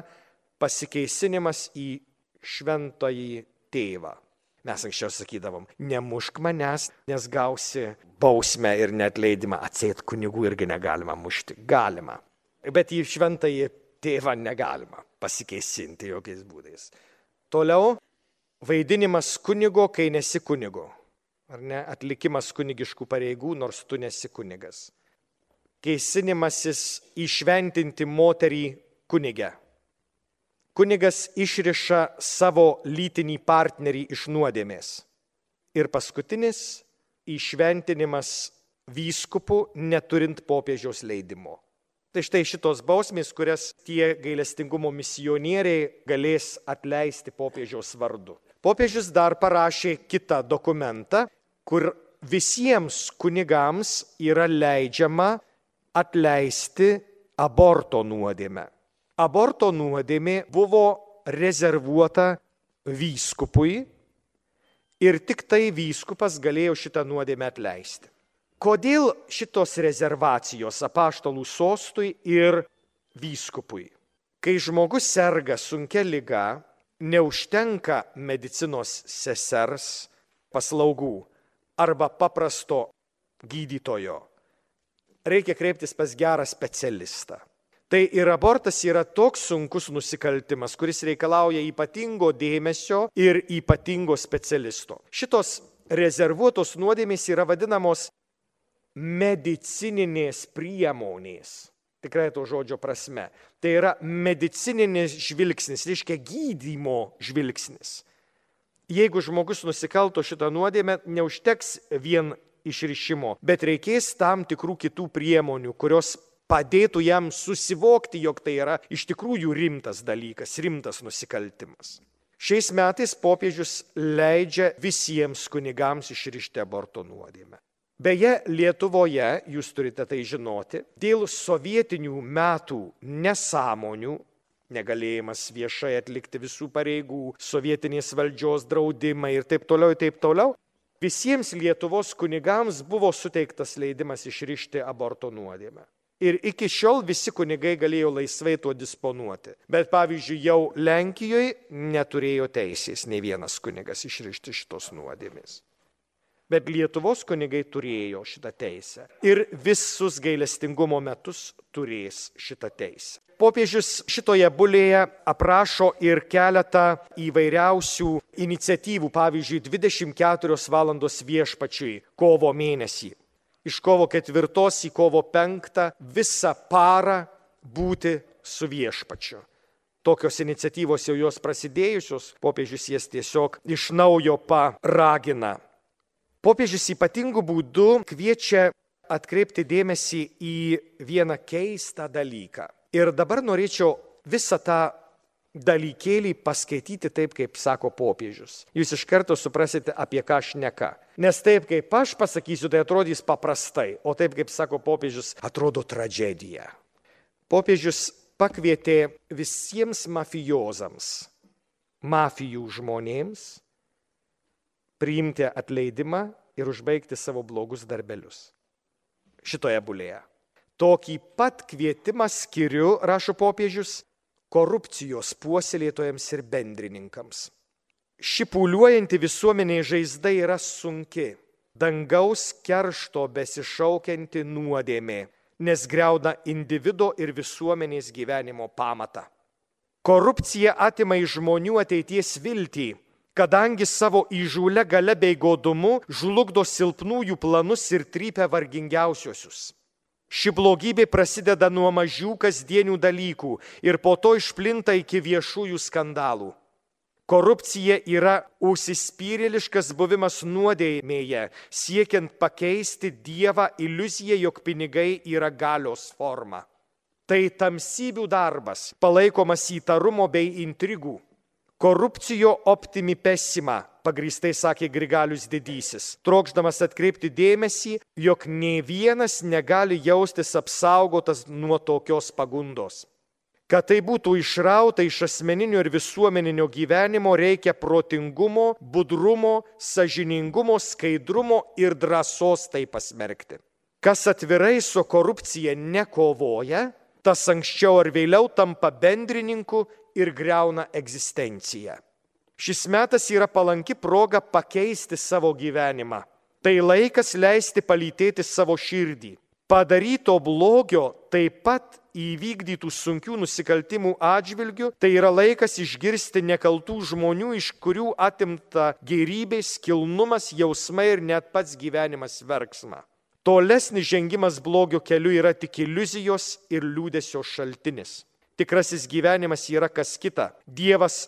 pasikeisinimas į šventąjį tėvą. Mes anksčiau sakydavom, nemušk manęs, nes gausi bausmę ir neatleidimą. Atseit kunigų irgi negalima mušti. Galima. Bet į šventąjį tėvą negalima pasikeisinti jokiais būdais. Toliau, vaidinimas kunigo, kai nesi kunigo. Ar ne? Atlikimas kunigiškų pareigų, nors tu nesi kunigas. Keisinimasis įšventinti moterį kunigę. Kunigas išriša savo lytinį partnerį iš nuodėmės. Ir paskutinis įšventinimas vyskupų neturint popiežiaus leidimo. Tai štai šitos bausmės, kurias tie gailestingumo misionieriai galės atleisti popiežiaus vardu. Popiežius dar parašė kitą dokumentą, kur visiems kunigams yra leidžiama atleisti aborto nuodėmę. Aborto nuodėmė buvo rezervuota vyskupui ir tik tai vyskupas galėjo šitą nuodėmę atleisti. Kodėl šitos rezervacijos apaštalų sostui ir vyskupui? Kai žmogus serga sunkia liga, neužtenka medicinos sesers paslaugų arba paprasto gydytojo. Reikia kreiptis pas gerą specialistą. Tai ir abortas yra toks sunkus nusikaltimas, kuris reikalauja ypatingo dėmesio ir ypatingo specialisto. Šitos rezervuotos nuodėmės yra vadinamos medicininės priemonės, tikrai to žodžio prasme. Tai yra medicininis žvilgsnis, reiškia gydymo žvilgsnis. Jeigu žmogus nusikalto šitą nuodėmę, neužteks vien išrišimo, bet reikės tam tikrų kitų priemonių, kurios padėtų jam susivokti, jog tai yra iš tikrųjų rimtas dalykas, rimtas nusikaltimas. Šiais metais popiežius leidžia visiems kunigams išrišti aborto nuodėmę. Beje, Lietuvoje, jūs turite tai žinoti, dėl sovietinių metų nesąmonių, negalėjimas viešai atlikti visų pareigų, sovietinės valdžios draudimai ir taip toliau, visiems Lietuvos kunigams buvo suteiktas leidimas išrišti aborto nuodėmę. Ir iki šiol visi kunigai galėjo laisvai tuo disponuoti. Bet pavyzdžiui, jau Lenkijoje neturėjo teisės nei vienas kunigas išrišti šitos nuodėmės. Bet Lietuvos kunigai turėjo šitą teisę. Ir visus gailestingumo metus turės šitą teisę. Popiežius šitoje bulėje aprašo ir keletą įvairiausių iniciatyvų, pavyzdžiui, 24 valandos viešpačiui kovo mėnesį. Iš kovo 4 į kovo 5 visą parą būti su viešpačiu. Tokios iniciatyvos jau jos prasidėjusios, popiežius jas tiesiog iš naujo paragina. Popiežius ypatingų būdų kviečia atkreipti dėmesį į vieną keistą dalyką. Ir dabar norėčiau visą tą dalykėlį paskaityti taip, kaip sako popiežius. Jūs iš karto suprasite, apie ką šneka. Nes taip, kaip aš pasakysiu, tai atrodys paprastai, o taip, kaip sako popiežius, atrodo tragedija. Popiežius pakvietė visiems mafijozams, mafijų žmonėms, priimti atleidimą ir užbaigti savo blogus darbelius. Šitoje bulėje. Tokį pat kvietimą skiriu, rašo popiežius, korupcijos puoselėtojams ir bendrininkams. Ši pūliuojanti visuomenė žaizda yra sunki, dangaus keršto besišaukianti nuodėmė, nes griauna individo ir visuomenės gyvenimo pamatą. Korupcija atima iš žmonių ateities viltį, kadangi savo įžūlia gale bei godumu žlugdo silpnųjų planus ir trypia vargingiausiosius. Ši blogybė prasideda nuo mažų kasdienių dalykų ir po to išplinta iki viešųjų skandalų. Korupcija yra užsispyrėliškas buvimas nuodėmėje, siekiant pakeisti Dievą iliuziją, jog pinigai yra galios forma. Tai tamsybių darbas, palaikomas įtarumo bei intrigų. Korupcijo optimi pessima, pagrįstai sakė Grigalius Didysis, trokšdamas atkreipti dėmesį, jog nė vienas negali jaustis apsaugotas nuo tokios pagundos. Kad tai būtų išrauta iš asmeninio ir visuomeninio gyvenimo, reikia protingumo, budrumo, sąžiningumo, skaidrumo ir drąsos tai pasmerkti. Kas atvirai su korupcija nekovoja, tas anksčiau ar vėliau tampa bendrininku ir griauna egzistenciją. Šis metas yra palanki proga pakeisti savo gyvenimą. Tai laikas leisti palytėti savo širdį. Padaryto blogio, taip pat įvykdytų sunkių nusikaltimų atžvilgių, tai yra laikas išgirsti nekaltų žmonių, iš kurių atimta gėrybės, kilnumas, jausmai ir net pats gyvenimas verksma. Tolesnis žengimas blogio keliu yra tik iliuzijos ir liūdesio šaltinis. Tikrasis gyvenimas yra kas kita. Dievas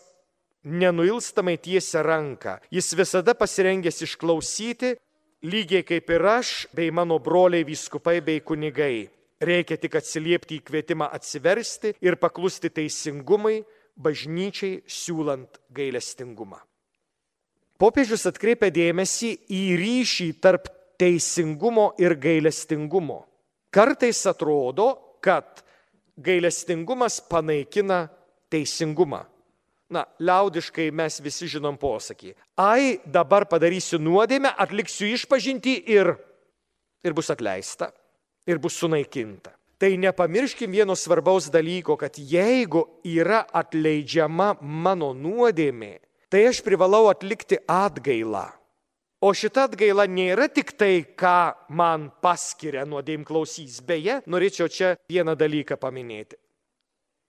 nenuilstamai tiesia ranką. Jis visada pasirengęs išklausyti, lygiai kaip ir aš, bei mano broliai vyskupai bei kunigai. Reikia tik atsiliepti į kvietimą atsiversti ir paklusti teisingumui, bažnyčiai siūlant gailestingumą. Popiežius atkreipia dėmesį į ryšį tarp teisingumo ir gailestingumo. Kartais atrodo, kad gailestingumas panaikina teisingumą. Liaudiškai mes visi žinom posakį. Ai, dabar padarysiu nuodėmę, atliksiu išpažintį ir bus atleista, ir bus sunaikinta. Tai nepamirškim vieno svarbaus dalyko, kad jeigu yra atleidžiama mano nuodėmė, tai aš privalau atlikti atgailą. O šita atgaila nėra tik tai, ką man paskiria nuodėmklausys. Beje, norėčiau čia vieną dalyką paminėti.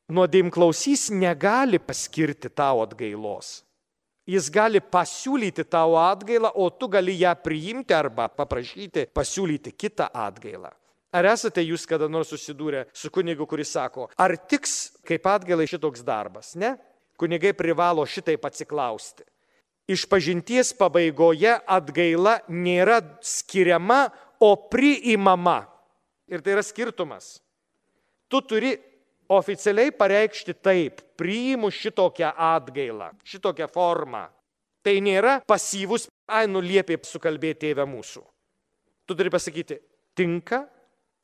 Nuodėmklausys negali paskirti tau atgailos. Jis gali pasiūlyti tau atgailą, o tu gali ją priimti arba paprašyti pasiūlyti kitą atgailą. Ar esate jūs kada nors susidūrę su kunigu, kuris sako, ar tiks kaip atgailai šitoks darbas? Ne? Kunigai privalo šitaip atsiklausti. Išpažinties pabaigoje atgaila nėra skiriama, o priimama. Ir tai yra skirtumas. Tu turi oficialiai pareikšti taip, priimu šitokią atgailą, šitokią formą. Tai nėra pasyvus, liepė sukalbėti Tėve mūsų. Tu turi pasakyti, tinka,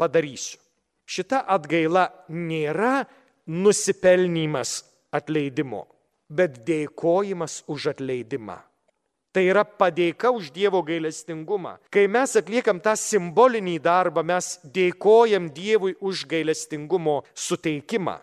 padarysiu. Šita atgaila nėra nusipelnymas atleidimo, bet dėkojimas už atleidimą. Tai yra padėka už Dievo gailestingumą. Kai mes atliekam tą simbolinį darbą, mes dėkojam Dievui už gailestingumo suteikimą.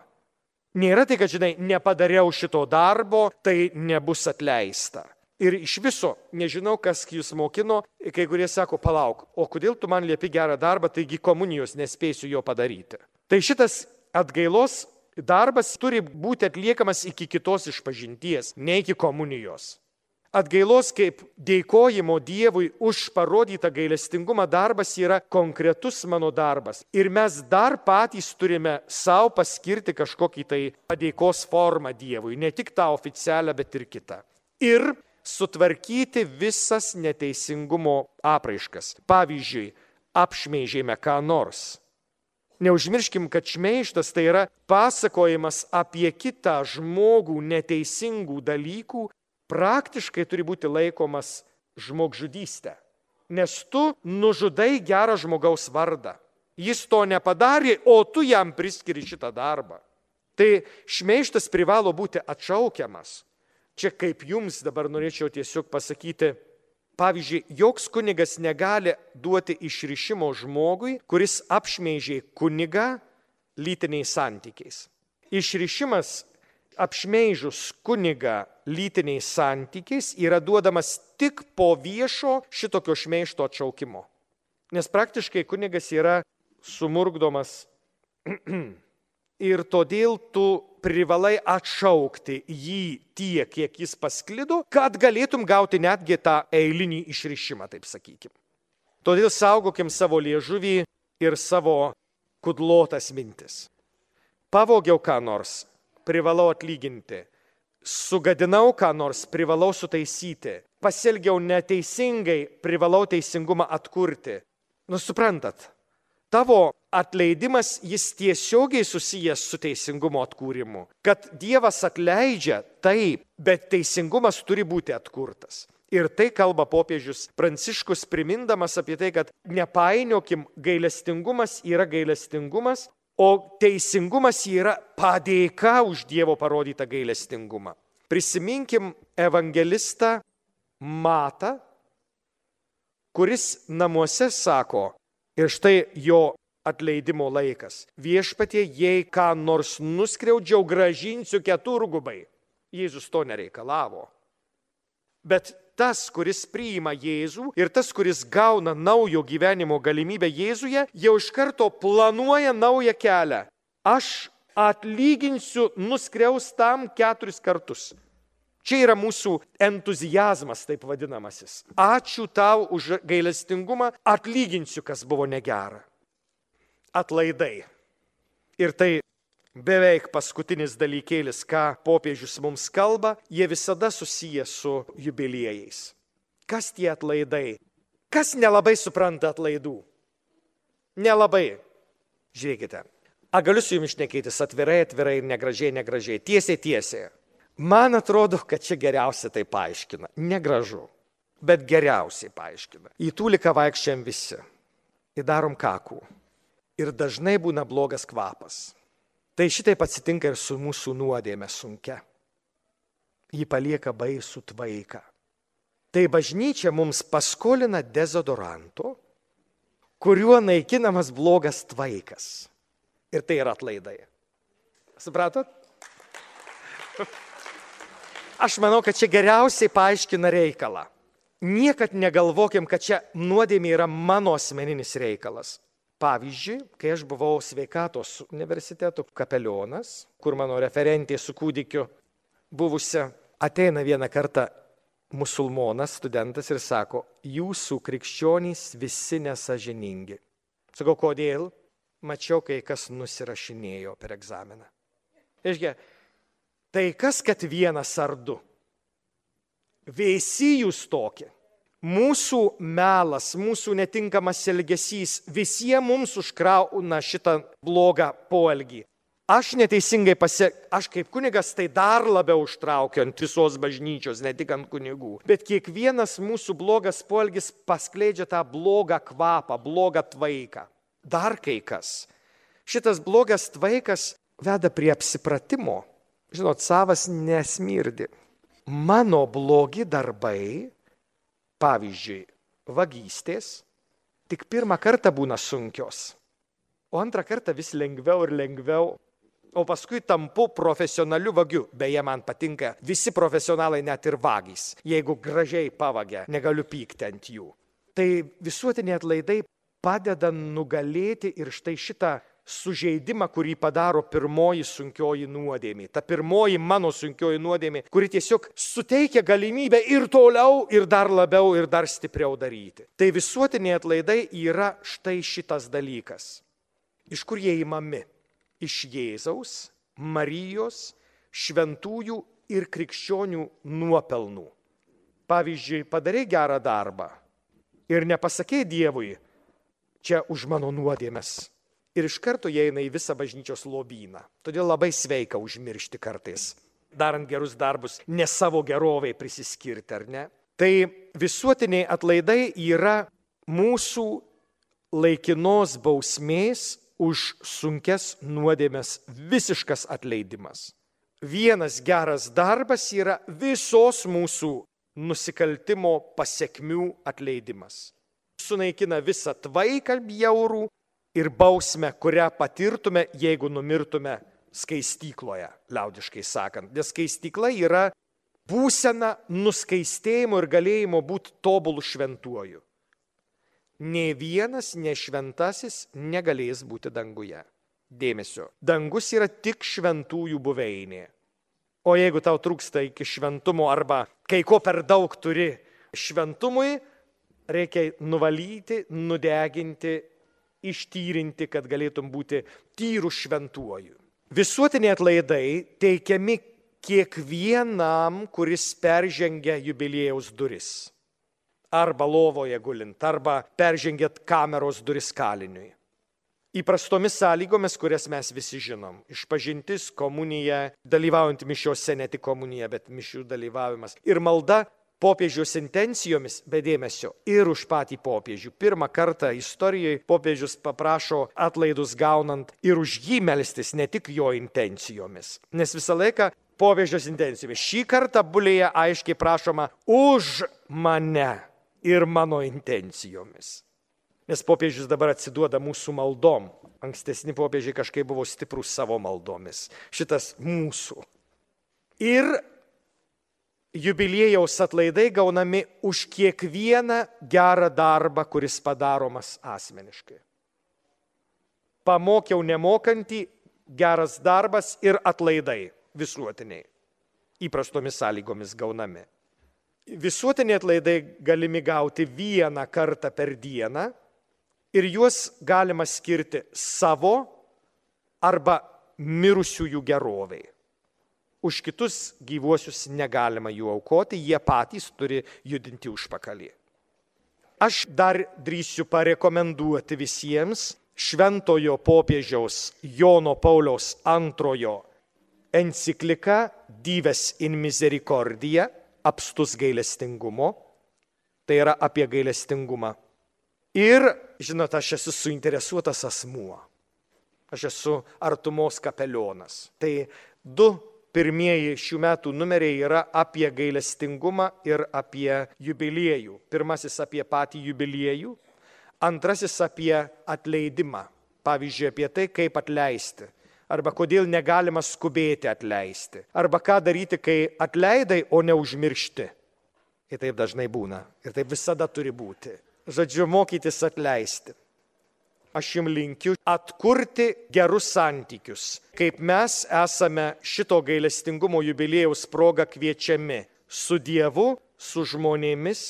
Nėra tai, kad, nepadariau šito darbo, tai nebus atleista. Ir iš viso, nežinau, kas jūs mokino, kai kurie sako, palauk, o kodėl tu man liepi gerą darbą, taigi komunijos nespėsiu jo padaryti. Tai šitas atgailos darbas turi būti atliekamas iki kitos išpažinties, ne iki komunijos. Atgailos kaip dėkojimo Dievui už parodytą gailestingumą darbas yra konkretus mano darbas. Ir mes dar patys turime savo paskirti kažkokį tai padėkos formą Dievui, ne tik tą oficialią, bet ir kitą. Ir sutvarkyti visas neteisingumo apraiškas. Pavyzdžiui, apšmeižėme ką nors. Neužmirškim, kad šmeižtas tai yra pasakojimas apie kitą žmogų neteisingų dalykų, praktiškai turi būti laikomas žmogžudystė. Nes tu nužudai gerą žmogaus vardą. Jis to nepadarė, o tu jam priskiri šitą darbą. Tai šmeižtas privalo būti atšaukiamas. Čia kaip jums dabar norėčiau tiesiog pasakyti, pavyzdžiui, joks kunigas negali duoti išrišimo žmogui, kuris apšmeižė kunigą lytiniais santykiais. Išrišimas apšmeižus kunigą lytiniais santykiais yra duodamas tik po viešo šitokio šmeižto atšaukimo. Nes praktiškai kunigas yra sumurkdomas ir todėl tu privalai atšaukti jį tiek, kiek jis pasklido, kad galėtum gauti netgi tą eilinį išrišimą, taip sakykim. Todėl saugokim savo liežuvį ir savo kudlotas mintis. Pavogiau ką nors, privalau atlyginti. Sugadinau ką nors, privalau sutaisyti. Pasielgiau neteisingai, privalau teisingumą atkurti. Suprantat, tavo atleidimas jis tiesiogiai susijęs su teisingumo atkūrimu. Kad Dievas atleidžia, taip, bet teisingumas turi būti atkurtas. Ir tai kalba popiežius Pranciškus, primindamas apie tai, kad nepainiokim, gailestingumas yra gailestingumas, o teisingumas yra padėka už Dievo parodytą gailestingumą. Prisiminkim evangelistą Matą, kuris namuose sako, ir štai jo atleidimo laikas. Viešpatie, jei ką nors nuskriaudžiau, grąžinsiu keturgubai. Jėzus to nereikalavo. Bet tas, kuris priima Jėzų ir tas, kuris gauna naujo gyvenimo galimybę Jėzuje, jau iš karto planuoja naują kelią. Aš atlyginsiu nuskriaustam 4 kartus. Čia yra mūsų entuzijazmas, taip vadinamasis. Ačiū tau už gailestingumą, atlyginsiu, kas buvo negera. Atlaidai. Ir tai beveik paskutinis dalykėlis, ką popiežius mums kalba, jie visada susiję su jubiliejais. Kas tie atlaidai? Kas nelabai supranta atlaidų? Nelabai. Žiūrėkite, galiu su jums šnekėtis atvirai ir negražiai, tiesiai. Man atrodo, kad čia geriausiai tai paaiškina. Negražu, bet geriausiai paaiškina. Į tūliką vaikščiam visi. Įdarom kakų. Ir dažnai būna blogas kvapas. Tai šitaip atsitinka ir su mūsų nuodėme sunkia. Ji palieka baisų tvaiką. Tai bažnyčia mums paskolina dezodoranto, kuriuo naikinamas blogas tvaikas. Ir tai yra atlaidai. Supratot? Aš manau, kad čia geriausiai paaiškina reikalą. Niekad negalvokim, kad čia nuodėmė yra mano asmeninis reikalas. Pavyzdžiui, kai aš buvau sveikatos universiteto kapelionas, kur mano referentė su kūdikiu buvusia, ateina vieną kartą musulmonas, studentas ir sako, jūsų krikščionys visi nesažiningi. Sakau, kodėl? Mačiau, kai kas nusirašinėjo per egzaminą. Iškia, tai kas, kad vienas ar du? Visi jūs tokie. Mūsų melas, mūsų netinkamas elgesys visiems mums užkrauna šitą blogą poelgį. Aš neteisingai aš kaip kunigas tai dar labiau užtraukiu ant visos bažnyčios, ne tik ant kunigų. Bet kiekvienas mūsų blogas poelgis paskleidžia tą blogą kvapą, blogą tvaiką. Dar kai kas. Šitas blogas tvaikas veda prie apsipratimo. Žinot, savas nesmirdi. Mano blogi darbai, pavyzdžiui, vagystės, tik pirmą kartą būna sunkios, o antrą kartą vis lengviau ir lengviau, o paskui tampu profesionaliu vagiu. Beje, man patinka visi profesionalai, net ir vagys. Jeigu gražiai pavagia, negaliu pykti ant jų. Tai visuotiniai atlaidai padeda nugalėti ir štai šitą sužeidimą, kurį padaro pirmoji sunkioji nuodėmė. Ta pirmoji mano sunkioji nuodėmė, kuri tiesiog suteikia galimybę ir toliau, ir dar labiau, ir dar stipriau daryti. Tai visuotiniai atlaidai yra štai šitas dalykas. Iš kur jie įmami? Iš Jėzaus, Marijos, šventųjų ir krikščionių nuopelnų. Pavyzdžiui, padarai gerą darbą ir nepasakei Dievui, čia už mano nuodėmes. ir iš karto įeina į visą bažnyčios lobyną. Todėl labai sveika užmiršti kartais, darant gerus darbus, ne savo geroviai prisiskirti, ar ne? Tai visuotiniai atlaidai yra mūsų laikinos bausmės už sunkes nuodėmes visiškas atleidimas. Vienas geras darbas yra visos mūsų nusikaltimo pasekmių atleidimas. Sunaikina visą tvaiką bjaurų ir bausmę, kurią patirtume, jeigu numirtume skaistykloje, liaudiškai sakant. Nes skaistykla yra būsena nuskaistėjimo ir galėjimo būti tobulų šventuoju. Nė vienas nešventasis negalės būti danguje. Dėmesio, dangus yra tik šventųjų buveinė. O jeigu tau trūksta iki šventumo arba kai ko per daug turi šventumui, reikia nuvalyti, nudeginti, ištyrinti, kad galėtum būti tyrų šventuoju. Visuotiniai atlaidai teikiami kiekvienam, kuris peržengia jubiliejaus duris. Arba lovoje gulint, arba peržengėt kameros duris kaliniui. Įprastomis sąlygomis, kurias mes visi žinom. Išpažintis, komunija, dalyvaujant mišiuose, ne tik komunija, bet mišių dalyvavimas. Ir malda popiežiaus intencijomis, be dėmesio, ir už patį popiežių. Pirmą kartą istorijoje popiežius paprašo atlaidus gaunant ir už jį melstis, ne tik jo intencijomis. Nes visą laiką popiežiaus intencijomis. Šį kartą bulėje aiškiai prašoma už mane ir mano intencijomis. Nes popiežius dabar atsiduoda mūsų maldom. Ankstesni popiežiai kažkaip buvo stiprus savo maldomis. Šitas mūsų. Ir jubiliejaus atlaidai gaunami už kiekvieną gerą darbą, kuris padaromas asmeniškai. Pamokiau nemokantį, geras darbas ir atlaidai visuotiniai. Įprastomis sąlygomis gaunami. Visuotiniai atlaidai galimi gauti vieną kartą per dieną ir juos galima skirti savo arba mirusiųjų geroviai. Už kitus gyvuosius negalima jų aukoti, jie patys turi judinti užpakalį. Aš dar drįsiu parekomenduoti visiems šventojo popiežiaus Jono Pauliaus II encikliką Dives in Misericordia, apstus gailestingumo, tai yra apie gailestingumą. Ir, žinot, aš esu suinteresuotas asmuo. Aš esu artumos kapelionas. Tai 2 pirmieji šių metų numeriai yra apie gailestingumą ir apie jubiliejų. Pirmasis apie patį jubiliejų, antrasis apie atleidimą. Pavyzdžiui, apie tai, kaip atleisti. Arba kodėl negalima skubėti atleisti. Arba ką daryti, kai atleidai, o neužmiršti. Ir taip dažnai būna. Ir taip visada turi būti. Žodžiu, mokytis atleisti. Aš jums linkiu atkurti gerus santykius. Kaip mes esame šito gailestingumo jubiliejaus proga kviečiami su Dievu, su žmonėmis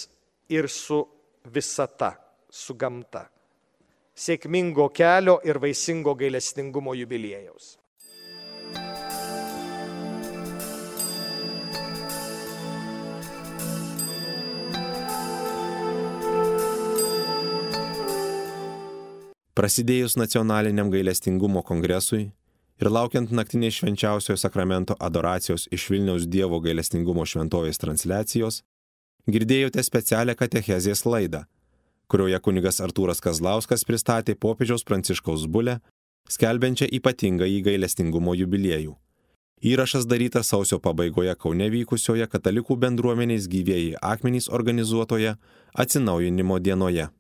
ir su visata, su gamta. Sėkmingo kelio ir vaisingo gailestingumo jubiliejaus. Prasidėjus nacionaliniam gailestingumo kongresui ir laukiant naktinės švenčiausiojo sakramento adoracijos iš Vilniaus Dievo gailestingumo šventovės transliacijos, girdėjote specialią katechezės laidą, kurioje kunigas Artūras Kazlauskas pristatė popiežiaus Pranciškaus bulę, skelbiančią ypatingąjį gailestingumo jubiliejų. Įrašas darytas sausio pabaigoje Kaune vykusioje katalikų bendruomenės Gyvieji akmenys organizuotoje atsinaujinimo dienoje.